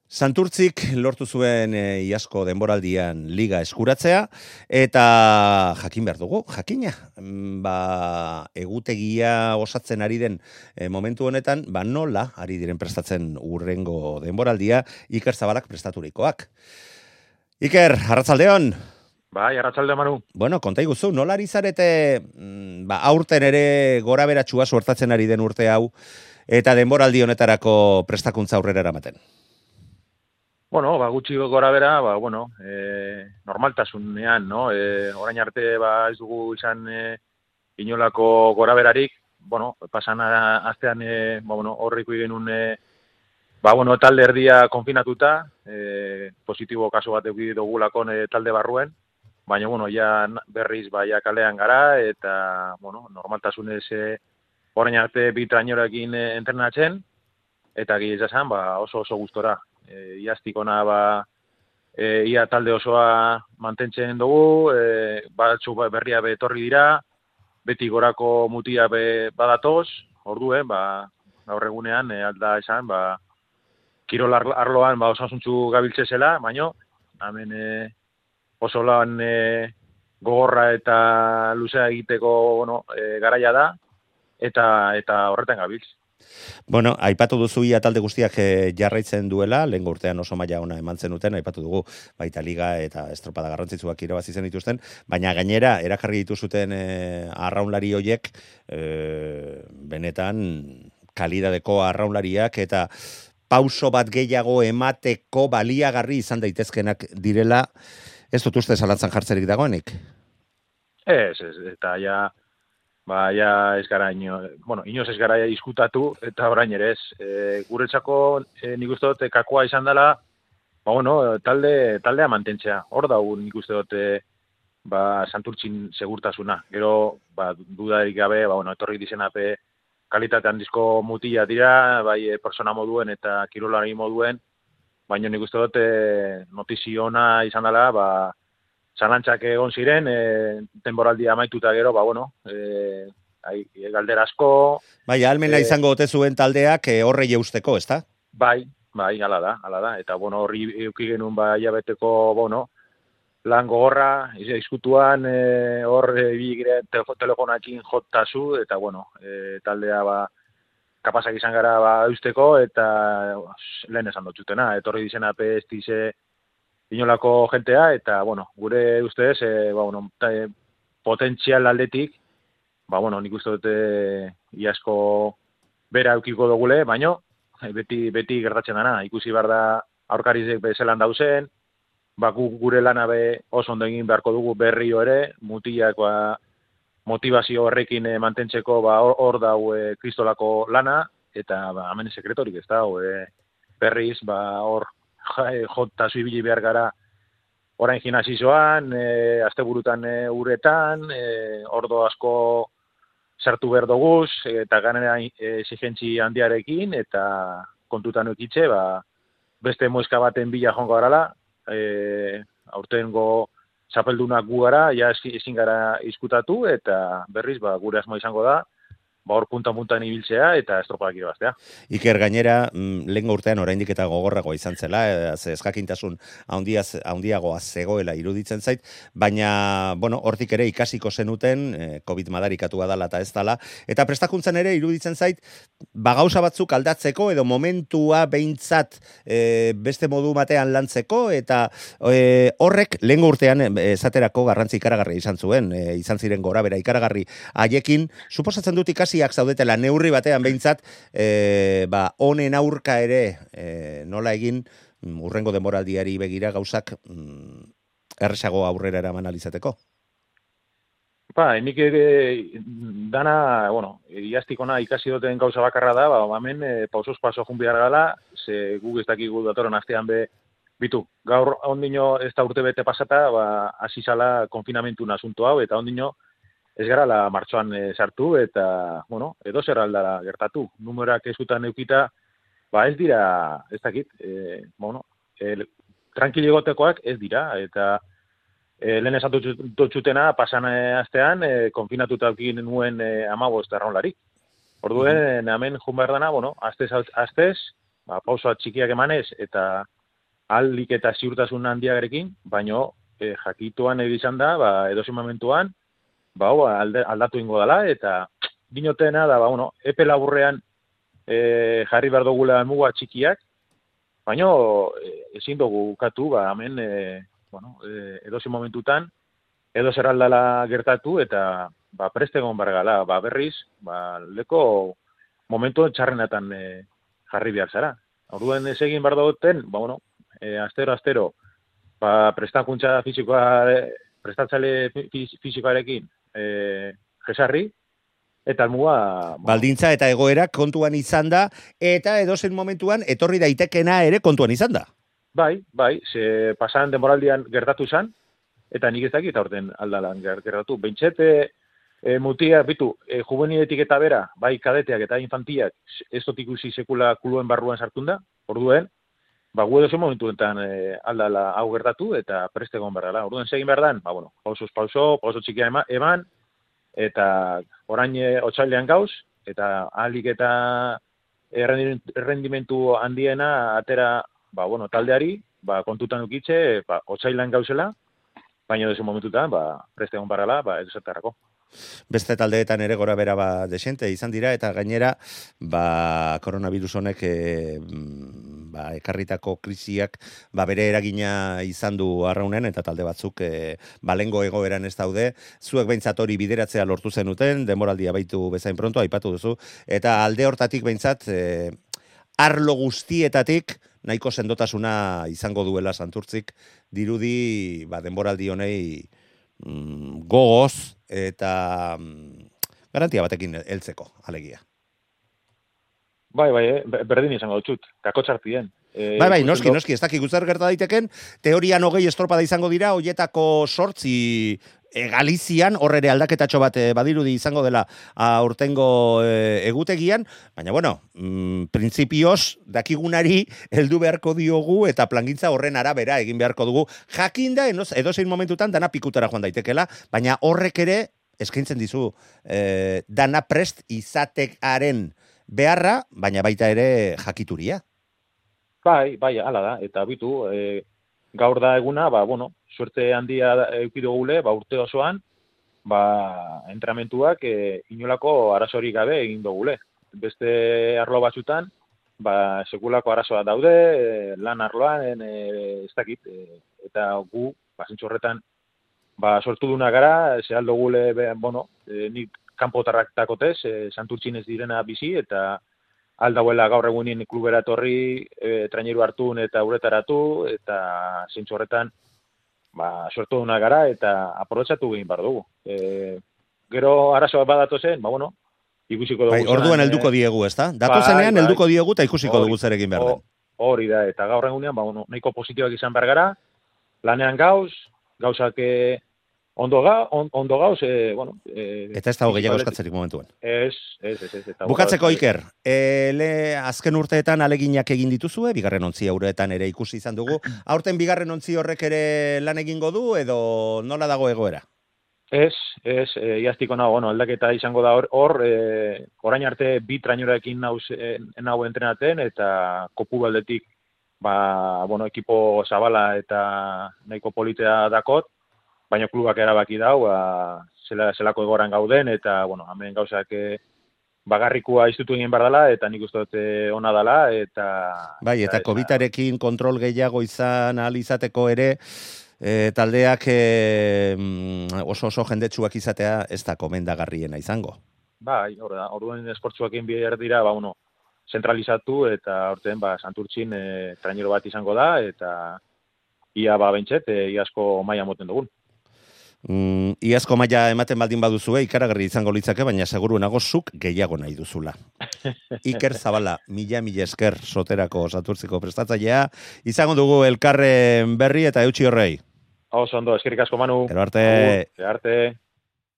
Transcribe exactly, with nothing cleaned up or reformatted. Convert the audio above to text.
Santurtzik lortu zuen e, iazko denboraldian liga eskuratzea, eta jakin behar dugu, jakina, mm, ba, egutegia osatzen ari den e, momentu honetan, ba nola ari diren prestatzen urrengo denboraldia, Iker Zabalak prestaturikoak. Iker, arratsaldeon. Bai, arratsalde Manu. Bueno, konta iguzu, nola ari zarete, mm, ba, aurten ere gora beratxua suertatzen ari den urte hau, eta denboraldi honetarako prestakuntza aurrera eramaten? Bueno, ba, gutxi gora bera, ba, bueno, e, normaltasunean, no? E, orain arte, ba, ez dugu izan e, inolako gora berarik, bueno, pasan astean, e, ba, bueno, horriko genuen, e, ba, bueno, talde erdia konfinatuta, e, positibo kaso bat eduki dugulakon e, talde barruen, baina, bueno, ja berriz, ba, ja kalean gara, eta, bueno, normaltasunez, e, orain arte bitrainorekin e, entrenatzen, eta gire esan, ba, oso oso gustora. E, iaztik ona, ba, e, ia talde osoa mantentzen dugu, e, batzu berria betorri dira, beti gorako mutia be badatoz, orduen, ba, gaur egunean, e, alda esan, ba, kirol arloan ba, osasuntzu gabiltze zela, baino, hemen e, oso lan e, gogorra eta luzea egiteko bueno, e, garaia da, eta eta horretan gabiltz. Bueno, aipatu duzu ia talde guztiak e, jarraitzen duela, lehen urtean oso maila ona eman zenuten, aipatu dugu baita liga eta estropada garrantzitsuak irabazi zen dituzten, baina gainera erakarri dituzuten e, arraunlari hoiek e, benetan kalidadeko arraunlariak eta pauso bat gehiago emateko baliagarri izan daitezkenak direla, ez dut uste zalantzan jartzerik dagoenik? Ez, ez, eta ja, ba, ja ez gara ino, bueno, inoz ez gara diskutatu, eta orain ere ez. E, guretzako, e, nik uste dut, kakoa izan dela, ba, bueno, talde, taldea mantentzea. Hor dago nik uste dut, e, ba, Santurtzin segurtasuna. Gero, ba, dudarik gabe, ba, bueno, etorri dizenape kalitate handizko mutila dira, bai, e, persona moduen eta kirolari moduen, baina nik uste dut, e, notiziona izan dela, ba, zalantzak egon ziren, e, denboraldia amaituta gero, ba, bueno, e, ai, galdera asko. Bai, almena e, izango ote zuen taldeak e, horrei eusteko, ezta? Bai, bai, hala da, hala da. Eta, bueno, horri euki genuen, ba, hilabeteko, bueno, lan gogorra, izkutuan, e, hor, e, bigire, telefonakin jotazu, eta, bueno, e, taldea, ba, kapazak izan gara, ba, eusteko, eta lehen esan dutxutena, etorri dizena pestize, inolako jentea, eta, bueno, gure ustez, e, ba, bueno, e, potentzial aldetik, ba, bueno, nik uste dute iasko bera eukiko dugule, baino, beti, beti gertatzen dana, ikusi behar da aurkarizek bezelan dauzen, ba, gu, gure lana be oso ondo egin beharko dugu berrio ere, mutiak, ba, motivazio horrekin e, mantentzeko, ba, hor, hor dau e, kristolako lana, eta, ba, hemen sekretorik ez da, e, berriz, ba, hor, jota zuibili behar gara orain gimnasizoan, e, asteburutan e, uretan, e, ordo asko sartu behar doguz, eta ganera exigentzi handiarekin, eta kontutan ukitze, ba, beste moizka baten bila jongo garala, e, aurtengo txapeldunak gu gara, ja ezin gara izkutatu, eta berriz, ba, gure asmo izango da, ba, hor punta-puntan ibiltzea eta estropadak irabaztea. Iker, gainera, mm, lehen urtean oraindik eta gogorrago izan zela, ez ezjakintasun handiaz, handiagoa zegoela iruditzen zait, baina, bueno, hortik ere ikasiko zenuten, eh, COVID madarikatua dala eta ez dala, eta prestakuntzan ere iruditzen zait, bagauza batzuk aldatzeko, edo momentua behintzat eh, beste modu batean lantzeko, eta eh, horrek lehen urtean esaterako garrantzi ikaragarri izan zuen, eh, izan ziren gora bera ikaragarri haiekin, suposatzen dut ikasi zaudetela neurri batean behintzat, e, ba, honen aurka ere e, nola egin urrengo denboraldiari begira gauzak mm, erresago aurrera eraman alizateko? Ba, nik ere dana, bueno, iaztikona ikasi duten gauza bakarra da, ba, hemen e, pausoz paso jun behar gala, ze guk ez dakigu datoren astean be, bitu, gaur ondino ez da urte bete pasata, ba, azizala konfinamentu asunto hau, eta ondino ez gara la martxoan e, sartu, eta, bueno, edo zer aldara gertatu. Numerak eskutan eukita, ba ez dira, ez dakit, e, bueno, e, tranquiligotekoak ez dira, eta e, lehen esan dutxutena, pasan e, astean, e, konfinatuta eukin nuen e, amabost erraunlarik. Orduen, hemen jun behar dana, bueno, astez, astez, ba, pausoa txikiak emanez, eta aldik eta ziurtasun handiarekin, baino e, jakituan edo izan da, ba, edozein momentuan, ba, alde, aldatu ingo dela, eta dinotena da, ba, bueno, epe laburrean e, jarri behar dugula muga txikiak, baino e, ezin dugu ukatu, ba, hemen, e, bueno, e, edozein momentutan, edo zer aldala gertatu, eta ba, preste egon bargala, ba, berriz, ba, leko momentu txarrenatan e, jarri behar zara. Orduan ez egin behar duten, ba, bueno, e, astero, astero, ba, prestakuntza fizikoa, prestatzale fizikoarekin e, jesarri, eta almuga... Bueno, baldintza eta egoera kontuan izan da, eta edozen momentuan etorri daitekena ere kontuan izan da. Bai, bai, ze pasan denboraldian gertatu izan, eta nik ez dakit aurten aldalan gertatu. Bentxete, e, mutia, bitu, e, juveniletik eta bera, bai kadeteak eta infantiak, ez dut ikusi sekula kuluen barruan sartun da, orduen, ba, gu edo zen momentuetan e, aldala hau gertatu, eta preste egon barrala. Orduen segin behar dan, ba, bueno, pausuz pauso, pauso txikia ema, eman, eta orain e, otsailean gauz, eta ahalik eta errendimentu handiena atera, ba, bueno, taldeari, ba, kontutan ukitxe, ba, otsailean gauzela, baina desu momentutan, ba, preste egon barrala, ba, edo zertarako. Beste taldeetan ere gora bera ba desente izan dira, eta gainera ba, koronavirus honek e, ba, ekarritako krisiak ba, bere eragina izan du arraunen, eta talde batzuk e, balengo egoeran ez daude. Zuek behintzat hori bideratzea lortu zenuten, denboraldia baitu bezain pronto, aipatu duzu, eta alde hortatik behintzat e, arlo guztietatik nahiko sendotasuna izango duela Santurtzik, dirudi ba, denboraldi honei mm, gogoz eta mm, garantia batekin heltzeko alegia. Bai, bai, eh? Berdin izango dutxut, kakotxartien. E, bai, bai, noski, noski, ez dakik guztar gerta daiteken, teorian hogei estropada izango dira, hoietako sortzi e, Galizian, horre aldaketatxo bat e, badirudi izango dela aurtengo e, egutegian, baina, bueno, mm, printzipioz, dakigunari heldu beharko diogu eta plangintza horren arabera egin beharko dugu, jakinda, edozein momentutan dana pikutara joan daitekela, baina horrek ere eskaintzen dizu e, dana prest izatekaren beharra, baina baita ere jakituria. Bai, bai, hala da, eta bitu, e, gaur da eguna, ba, bueno, suerte handia eukidu gule, ba, urte osoan, ba, entramentuak e, inolako arazorik gabe egin dugule. Beste arlo batzutan, ba, sekulako arazoa daude, e, lan arloan, e, ez dakit, e, eta gu, ba, zintxorretan, ba, sortu duna gara, ze aldo gule, be, bueno, e, nik kanpotarrak takotez, e, Santurtzin ez direna bizi, eta aldauela gaur egunin klubera etorri, e, traineru hartun eta uretaratu, eta zintzu horretan, ba, sortu duna gara, eta aprobetxatu egin bar dugu. E, gero arazoa badatu zen, ba, bueno, ikusiko dugu. Bai, orduan helduko diegu, ez da? Datu zenean helduko diegu, eta ikusiko dugu zerekin behar den. Hori da, eta gaur egunean, ba, bueno, nahiko positiboak izan behar gara, lanean gauz, gauzak Ondo, ga, on, ondo gauz, e, bueno... E, eta ez dago gehiago eskatzerik momentuan. Ez, ez, ez. ez Bukatzeko, Iker, e, le, azken urteetan aleginak egin dituzue, bigarren ontzi auretan ere ikusi izan dugu. Aurten bigarren ontzi horrek ere lan egingo du, edo nola dago egoera? Ez, ez, e, iaztiko nago, bueno, aldaketa izango da hor, hor e, orain arte bi trainorekin nauz, e, nago entrenaten, eta kopu baldetik, ba, bueno, ekipo zabala eta nahiko politea dakot, baina klubak erabaki dau, ba, zela, zelako egoran gauden, eta, bueno, hemen gauzak e, bagarrikua iztutu egin behar dela, eta nik uste dut ona dela, eta... Bai, eta, eta kobitarekin kontrol gehiago izan ahal izateko ere, e, taldeak e, oso oso jendetsuak izatea ez da komendagarriena izango. Bai, hor da, orduan esportsuak egin behar dira, ba, uno, zentralizatu, eta orten, ba, Santurtzin e, trainero bat izango da, eta ia, ba, bentset, e, iazko maila moten dugun. Mm, iazko maila ematen baldin baduzue, ikaragarri izango litzake, baina seguru nago zuk gehiago nahi duzula. Iker Zabala, mila mila esker soterako Santurtziko prestatzailea, izango dugu elkarren berri eta eutxi horrei. Oso ondo, eskerrik asko, Manu. Gero arte. Gero arte.